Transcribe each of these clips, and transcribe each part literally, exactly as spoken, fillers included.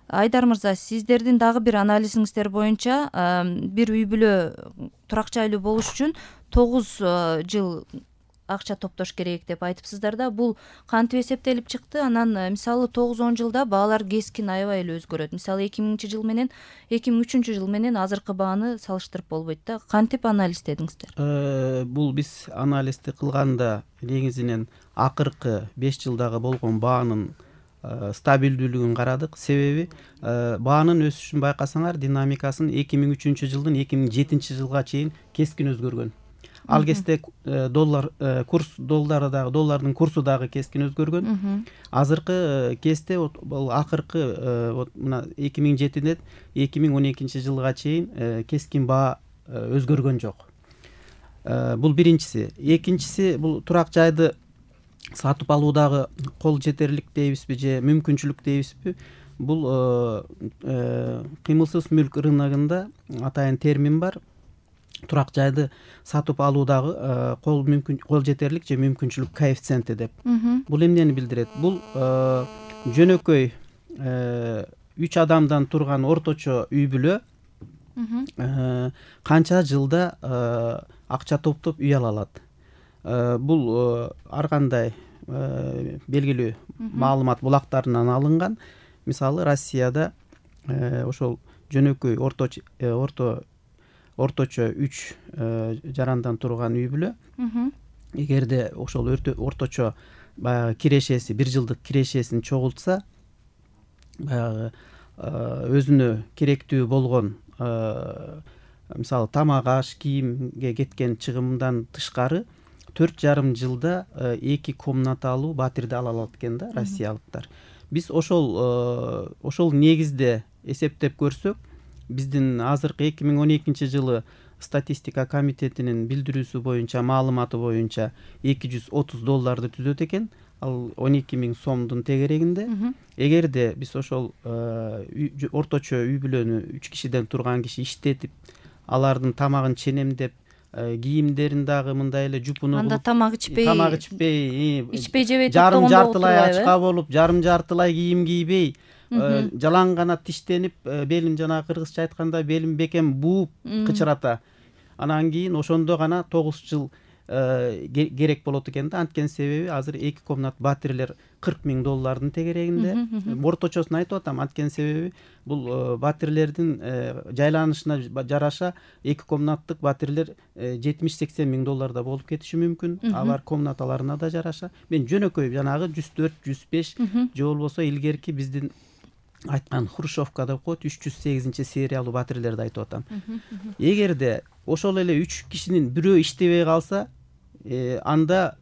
Айдар мырза, сиздердин дагы бир анализиңиздер боюнча бир үй бүлө турак жайлуу болуш үчүн тогуз жыл акча топтош керек деп айтыпсыздар да. Бул кантип эсептелип чыкты? Анан мисалы тогуз он жылда баалар кескин аябай эле өзгөрөт. Мисалы эки миңинчи жыл менен эки миң үчүнчү жыл менен азыркы бааны салыштырып болбойт да. Кантип анализдедиңиздер? Бул биз анализди кылганда негизинен акыркы беш жылдагы болгон баанын стабилдүүлүгүн карадык. Себеби баанын өсүшүн байкасаңар, динамикасын эки миң үчүнчү жылдын эки миң жетинчи жылга чейин кескин өзгөргөн. Ал кезде доллар курс доллардагы доллардын курсу дагы кескин өзгөргөн. Азыркы кезде бул акыркы вот мына эки миң жетиден эки миң он экинчи жылга чейин кескин баа өзгөргөн жок. Бул биринчиси. Экинчиси, бул турак жайды сатып алуудагы кол жетерлик дейбизби же мүмкүнчүлүк дейбизби? Бул кыймылсыз мүлк рыногунда атайын термин бар. Турак жайды сатып алуудагы кол мүмкүн кол жетерлик же мүмкүнчүлүк коэффициенти деп. Бул эмнени билдирет? Бул жөнөкөй үч адамдан турган орточо үй бүлө канча жылда акча топтоп үй ала алат. Бул ар кандай белгилүү маалымат булактарынан алынган. Мисалы Россияда ошол жөнөкөй орточо орто орточо үч жарандан турган үй бүлө эгерде ошол орточо баягы кирешеси бир жылдык кирешесин чогултса, баягы өзүнө керектүү болгон мисалы тамак аш, кийимге кеткен чыгымдан тышкары төрт жарым жылда эки комната алуу батирди ала алат экен да россиялыктар. Биз ошол ошол негизде эсептеп көрсөк, биздин азыркы эки миң он экинчи жылы статистика комитетинин билдирүүсү боюнча, маалыматы боюнча эки жүз отуз долларды түзөт экен. Ал он эки миң сомдун тегерегинде. Эгерде биз ошол орточо үй бүлөнү үч кишиден турган киши иштетип, алардын тамагын ченемдеп, кийимдерин дагы мындай эле жупуну анда тамак ичпей, тамак ичпей, ичпей жебей жарым жартылай ачка болуп, жарым жартылай кийим кийбей, жалаң гана тиштенип, белин жана кыргызча айтканда белин бекем бууп кычырата. Анан кийин ошондо гана тогуз жыл керек болот экен да. Анткени себеби азыр эки комнат батирлер кырк миң доллардын тегерегинде. Орточосун айтып атам, анткени себеби бул батирлердин жайланышына жараша эки комнаттык батирлер жетимиш сексен миң долларда болуп кетиши мүмкүн. Алар комнаталарына да жараша. Мен жөнөкөй жанагы жүз төрт жүз беш же болбосо илгерки биздин айткан Хрущевка деп коет, үч жүз сегизинчи сериялуу батирлерди айтып атам. Эгерде ошол эле үч кишинин бирөө иштебей калса, анда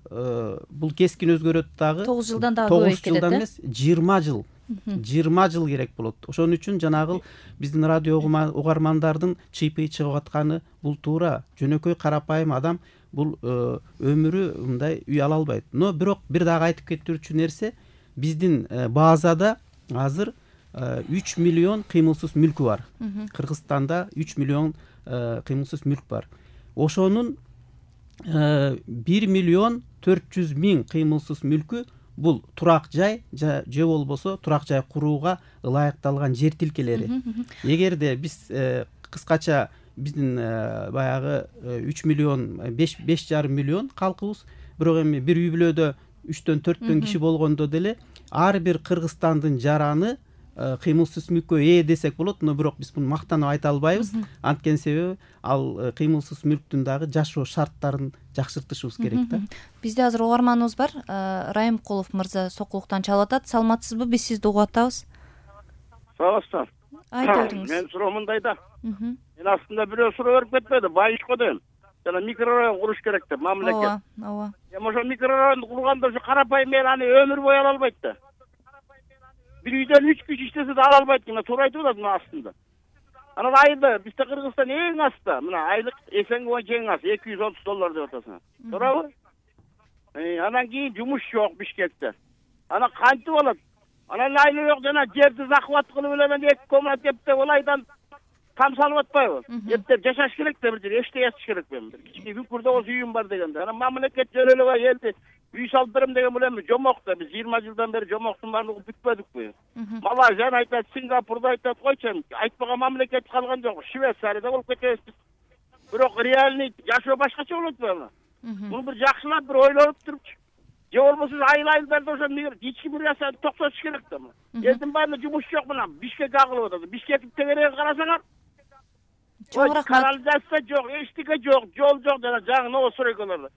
бул кескин өзгөрөт дагы. тогуз жылдан дагы көбөйүп кетет. тогуз жылдан эмес, жыйырма жыл. жыйырма жыл керек болот. Ошон үчүн жанагы биздин радио угармандардын чыйпый чыгып атканы бул туура. Жөнөкөй карапайым адам бул өмүрү мындай үй ала албайт. Но бирок бир дагы айтып кетүүчү нерсе, биздин базада азыр үч миллион кыймылсыз мүлкү бар. Кыргызстанда үч миллион кыймылсыз мүлк бар. Ошонун бир миллион төрт жүз миң кыймылсыз мүлкү бул турак жай же болбосо турак жай курууга ылайыкталган жер тилкелери. Эгерде биз кыскача биздин баягы үч миллион беш жарым миллион калкыбыз, бирок эми бир үй бүлөдө үчтөн төрттөн киши болгондо деле ар бир Кыргызстандын жараны кыймылсыз мүлккө ээ десек болот. Но бирок биз муну мактанып айта албайбыз. Анткени себеби ал кыймылсыз мүлктүн дагы жашоо шарттарын жакшыртышыбыз керек да. Бизде азыр угарманыбыз бар. Райымкулов мырза Сокулуктан чалып атат. Саламатсызбы? Биз сизди угуп атабыз. Саламатсыздар. Айта бериңиз. Мен суроо мындай да. Мен астында бирөө суроо берип кетпеди. Байышко дейм. Жана микрорайон куруш керек деп мамлекет. Ооба, ооба. Эми ошо микрорайонду курганда ошо карапайым эл аны өмүр бою ала албайт да. Бир үйдөн үч киши иштесе да ала албайт экен. Туура айтып атат мына астында. Анан айда бизде Кыргызстан эң аста, мына айлык эсенге боюнча эң аз эки жүз отуз доллар деп атасың. Туурабы? Анан кийин жумуш жок Бишкекте. Анан кантип болот? Анан айла жок жана жерди захват кылып эле мен эки комнат деп ылайдан там салып атпайбы? Эптеп жашаш керек да бир жерде, эчтеке ячыш керек мен. Кичине бүкүрдө осы үйүм бар дегенде. Анан мамлекет жөн эле элди үй салып берем деген бул эми жомок да, биз жыйырма жылдан бери жомоктун баардыгын бүткөдүкпү. Малайзияны айтат, Сингапурду айтат, койчу, айтпаган мамлекет калган жок. Швейцарияда болуп кетебиз биз. Бирок реальный жашоо башкача болот да. Муну бир жакшылап бир ойлонуп турупчу. Же болбосо айыл айылдарда ошо ички мириясын токтотуш керек да. Элдин баарында жумуш жок мына. Бишкек агылып атат. Бишкектин тегерегин карасаңар, чоң рахмат. Канализация жок, эчтеке жок, жол жок жана жаңы новостройкаларда.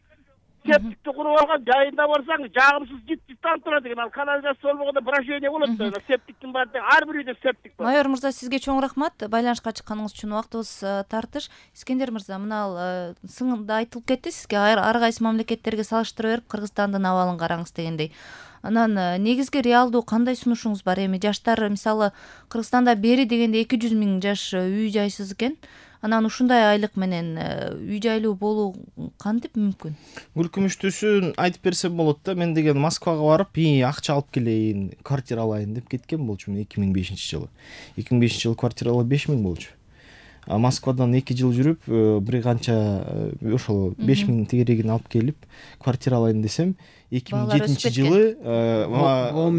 Септикти куруп алган, жайында барсаң, жагымсыз жит життан турат экен. Ал канализация болбогондо брожение болот да. Септиктин баары ар бир үйдө септик бар. Майор мырза, сизге чоң рахмат. Байланышка чыкканыңыз үчүн убактыбыз тартыш. Искендер мырза, мына сыңында айтылып кетти, сизге ар кайсы мамлекеттерге салыштыра берип Кыргызстандын абалын караңыз дегендей. Анан негизги реалдуу кандай сунушуңуз бар? Эми жаштар мисалы Кыргызстанда бери дегенде эки жүз миң жаш үй жайсыз экен. Анан ушундай айлык менен үй жайлуу болуу кантип мүмкүн? Гүлкүмүштүүсүн айтып берсем болот да. Мен деген Москвага барып, "И, акча алып келейин, квартира алайын" деп кеткен болчумун эки миң бешинчи жылы. эки миң бешинчи жылы квартиралар беш миң болчу. А Москвадан эки жыл жүрүп, бир канча ошол беш миң тегерегин алып келип, квартира алайын десем, эки миң жетинчи жылы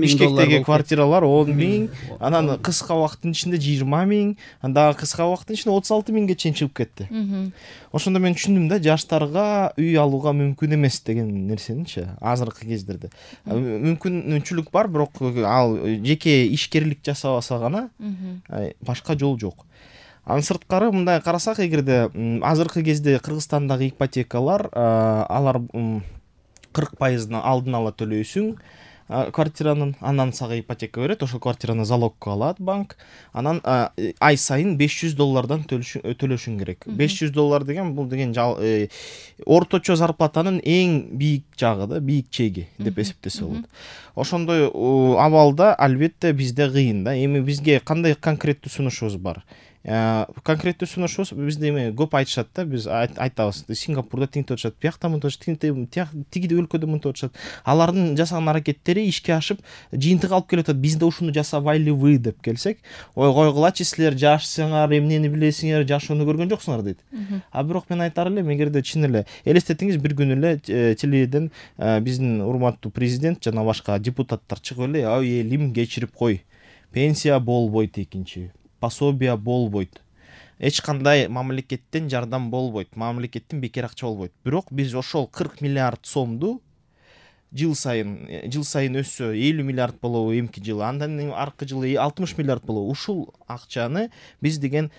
Бишкектеги квартиралар он миң, анан кыска убакыттын ичинде жыйырма миң, анда кыска убакыттын ичинде отуз алты миңге чейин чыгып кетти. Ошондо мен түшүндүм да, жаштарга үй алууга мүмкүн эмес деген нерсеничи азыркы кездерде. Мүмкүнчүлүк бар, бирок ал жеке ишкерлик жасабаса гана башка жол жок. Анын сырткары мындай карасак, эгерде азыркы кезде Кыргызстандагы ипотекалар, алар кырк пайызын алдын ала төлөйсүң квартиранын, анан сага ипотека берет, ошол квартираны залогко алат банк, анан ай сайын беш жүз доллардан төлөшүң керек. беш жүз доллар деген бул деген орточо зарплатанын эң бийик жагы да, бийик чеги деп эсептесе болот. Ошондой абалда албетте бизде кыйын да. Эми бизге кандай конкреттүү сунушубуз бар? Конкреттүү сунушубуз бизде эми көп айтышат да, биз айтабыз, Сингапурда тинтип атышат, биякта мынтип атышат, тиги өлкөдө мынтип атышат. Алардын жасаган аракеттери ишке ашып, жыйынтык алып келип атат. Бизде ушуну жасабайлыбы деп келсек, ой койгулачы, силер жашсыңар, эмнени билесиңер, жашоону көргөн жоксуңар дейт. А бирок мен айтар элем, эгерде чын эле элестетиңиз, бир күнү эле телевиден биздин урматтуу президент жана башка депутаттар чыгып эле, ой элим кечирип кой, пенсия болбойт экинчи, пособия болбойт, эч кандай мамлекеттен жардам болбойт, мамлекеттен бекер акча болбойт. Бирок биз ошол кырк миллиард сомду жыл сайын жыл сайын өссө элүү миллиард болобу эмки жылы, андан аркы жылы алтымыш миллиард болобу, ушул акчаны биз деген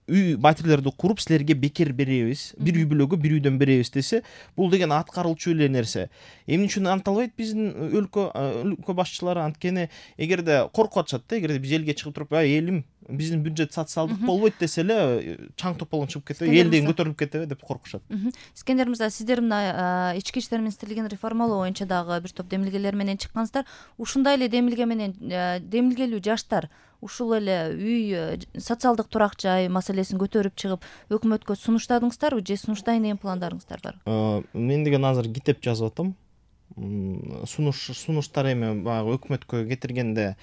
үй батирлерди куруп силерге бекер беребиз, бир үй бүлөгө бир үйдөн беребиз десе, бул деген аткарылчу эле нерсе. Эмне үчүн анталбайт биздин өлкө өлкө башчылары? Анткени эгерде коркуп атышат да, эгерде биз элге чыгып туруп, ай элим, биздин бюджет социалдык болбойт десе эле, чаң тополон чыгып кетеби, эл деген көтөрүлүп кетеби деп коркушат. Искендер мырза, сиздер мына ички иштер министрлигин реформалоо боюнча дагы бир топ демилгелер менен чыккансыздар. Ушундай эле демилге менен демилгелүү жаштар ушул эле үй социалдык турак жай маселесин көтөрүп чыгып өкмөткө сунуштадыңыздарбы же сунуштайын деген пландарыңыздар барбы? Мен деген азыр китеп жазып атам. Сунуш сунуштар эми баягы өкмөткө кетиргенде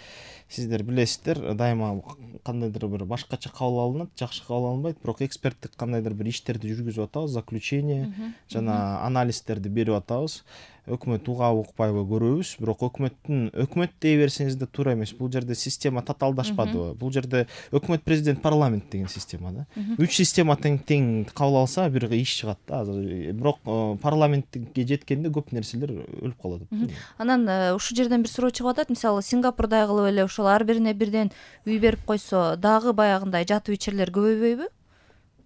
сиздер билесиздер, дайыма кандайдыр бир башкача кабыл алынат, жакшы кабыл алынбайт, бирок эксперттик кандайдыр бир иштерди жүргүзүп атабыз, заключение жана анализдерди берип атабыз. Өкмөт угабы укпайбы көрөбүз, бирок өкмөттүн өкмөт дей берсеңиз да туура эмес. Бул жерде система татаалдашпадыбы? Бул жерде өкмөт, президент, парламент деген система да. Үч система тең тең кабыл алса бир иш чыгат да. Бирок парламентке жеткенде көп нерселер өлүп калат. Анан ушул жерден бир суроо чыгып атат. Мисалы Сингапурдай кылып эле ошол ар бирине бирден үй берип койсо, дагы баягындай жатып ичерлер көбөйбөйбү?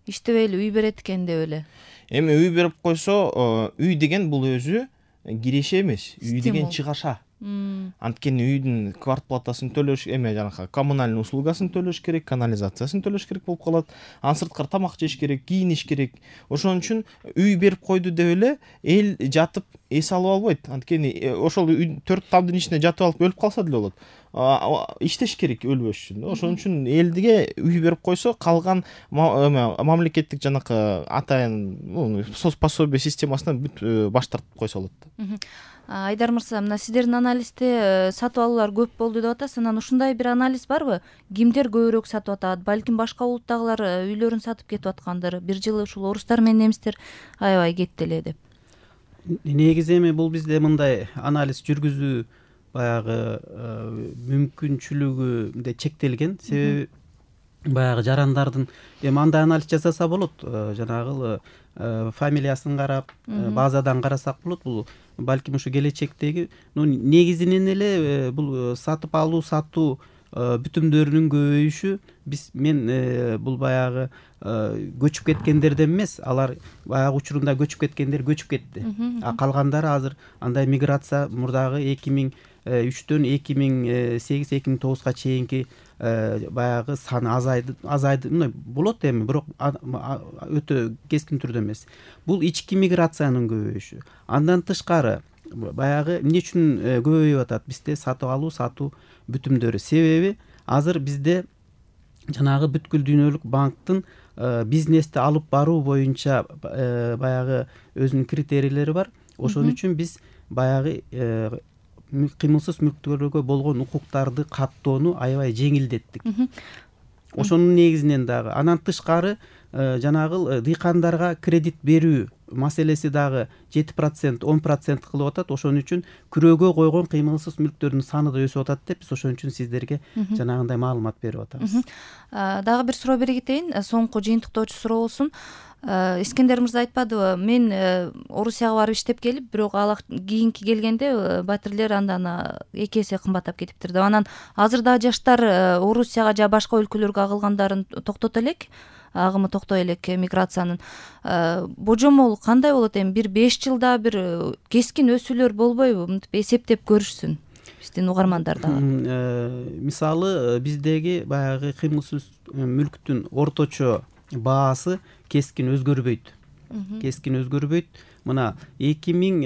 Иштебей эле үй берет экен деп эле. Эми үй берип койсо, үй деген бул өзү киреше эмес, үй деген чыгаша. Анткени үйдүн квартплатасын төлөш, эме жанагы коммунальный услугасын төлөш керек, канализациясын төлөш керек болуп калат. Анын сырткары тамак жеш керек, кийиниш керек. Ошон үчүн үй берип койду деп эле эл жатып эс алып албайт. Анткени ошол төрт тамдын ичинде жатып алып өлүп калса деле болот. Иштеш керек өлбөш үчүн. Ошон үчүн элге үй берип койсо, калган мамлекеттик жанакы атайын соцпособие системасынан бүт баш тартып койсо болот. Айдар мырза, мына сиздердин анализде сатып алуулар көп болду деп атасыз. Анан ушундай бир анализ барбы? Кимдер көбүрөөк сатып атат? Балким башка улуттагылар үйлөрүн сатып кетип аткандыр. Бир жылы ушул орустар менен немистер аябай кетти эле деп. негизи эми бул бизде мындай анализ жүргүзүү баягы мүмкүнчүлүгү мындай чектелген. Себеби баягы жарандардын эми андай анализ жасаса болот, жанагы фамилиясын карап, базадан карасак болот. Бул балким ушу келечектеги негизинен эле бул сатып алуу сатуу бүтүмдөрүнүн көбөйүшү. Биз мен бул баягы көчүп кеткендерден эмес, алар баягы учурунда көчүп кеткендер көчүп кетти. А калгандары азыр андай миграция мурдагы эки миң үчтөн эки миң сегиз эки миң тогузга чейинки баягы саны азайды азайды мындай болот эми, бирок өтө кескин түрдө эмес. Бул ички миграциянын көбөйүшү. Андан тышкары баягы эмне үчүн көбөйүп атат бизде сатып алуу сатуу бүтүмдөрү? Себеби азыр бизде жанагы бүткүл дүйнөлүк банктын бизнести алып баруу боюнча баягы өзүнүн критерийлери бар. Ошон үчүн биз баягы кыймылсыз мүлктөргө болгон укуктарды каттоону аябай жеңилдеттик. Ошонун негизинен дагы андан тышкары жанагы дыйкандарга кредит берүү маселеси дагы жети процент он процент кылып атат. Ошон үчүн күрөөгө койгон кыймылсыз мүлктөрдүн саны да өсүп атат деп биз ошон үчүн сиздерге жанагындай маалымат берип атабыз. Дагы бир суроо бере кетейин, соңку жыйынтыктоочу суроо болсун. Искендер мырза айтпадыбы, мен Орусияга барып иштеп келип, бирок ал кийинки келгенде батирлер андан эки эсе кымбаттап кетиптир деп. Анан азыр да жаштар Орусияга же башка өлкөлөргө агылгандарын токтото элек, агымы токтой элек миграциянын. Божомол кандай болот эми? Бир беш жылда бир кескин өсүүлөр болбойбу? Мынтип эсептеп көрүшсүн биздин угармандар дагы. Мисалы биздеги баягы кыймылсыз мүлктүн орточо баасы кескин өзгөрбөйт. Кескин өзгөрбөйт. Мына эки миң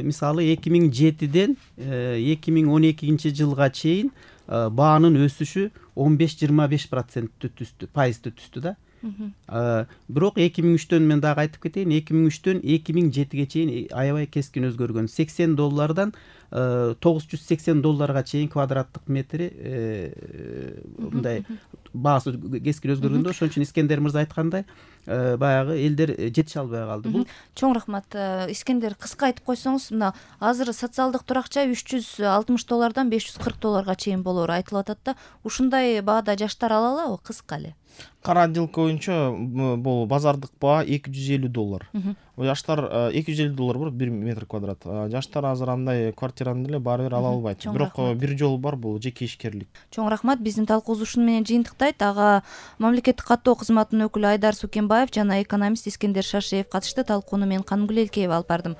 мисалы эки миң жетиден эки миң он экинчи жылга чейин баанын өсүшү он беш жыйырма беш процентти түстү, пайызды түстү да. Бирок эки миң үчтөн мен дагы айтып кетейин, эки миң үчтөн эки миң жетиге чейин аябай кескин өзгөргөн. сексен доллардан тогуз жүз сексен долларга чейин квадраттык метри мындай баасы кескин өзгөргөндө. Ошон үчүн Искендер мырза айткандай баягы элдер жетише албай калды. Бул чоң рахмат. Искендер, кыска айтып койсоңуз, мына азыр социалдык турак жай үч жүз алтымыш доллардан беш жүз кырк долларга чейин болоору айтылып атат да. Ушундай баада жаштар ала алабы? Кыска эле. Кара отделка боюнча бул базардык баа эки жүз элүү доллар. Жаштар эки жүз элүү доллар бар бир метр квадрат. Жаштар азыр андай квартираны деле баары бир ала албайт. Бирок бир жолу бар, бул жеке ишкерлик. Чоң рахмат. Биздин талкуубуз ушуну менен жыйынтыктайт. Ага мамлекеттик каттоо кызматынын өкүлү Айдар Сукенбаев жана экономист Искендер Шашиев катышты. Талкууну мен Канымгүл Элкеева алып бардым.